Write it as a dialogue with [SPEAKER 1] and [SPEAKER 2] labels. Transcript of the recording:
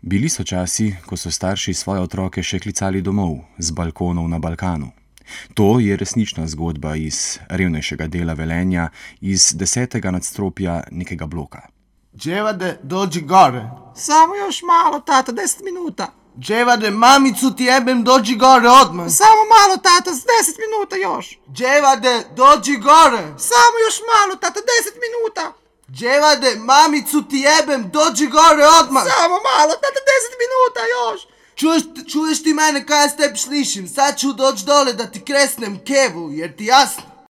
[SPEAKER 1] Bili so časi, ko so starši svoje otroke še klicali domov, z balkonov na Balkanu. To je resnična zgodba iz revnejšega dela Velenja, iz 10. nadstropja nekega bloka.
[SPEAKER 2] Dževade, dođi gore.
[SPEAKER 3] Samo još malo, tata, 10 minuta.
[SPEAKER 2] Dževade, mamicu ti jebem, dođi gore odmah.
[SPEAKER 3] Samo malo, tata, 10 minuta još.
[SPEAKER 2] Dževade, dođi gore.
[SPEAKER 3] Samo još malo, tata, 10 minuta.
[SPEAKER 2] Dževade, mamicu ti jebem, dođi gore odmah.
[SPEAKER 3] Samo malo, tata, 10 minuta još.
[SPEAKER 2] Čuješ ti mene kaj ja s tebi slišim? Sad ću doći dole da ti kresnem kevu, jer ti jasno?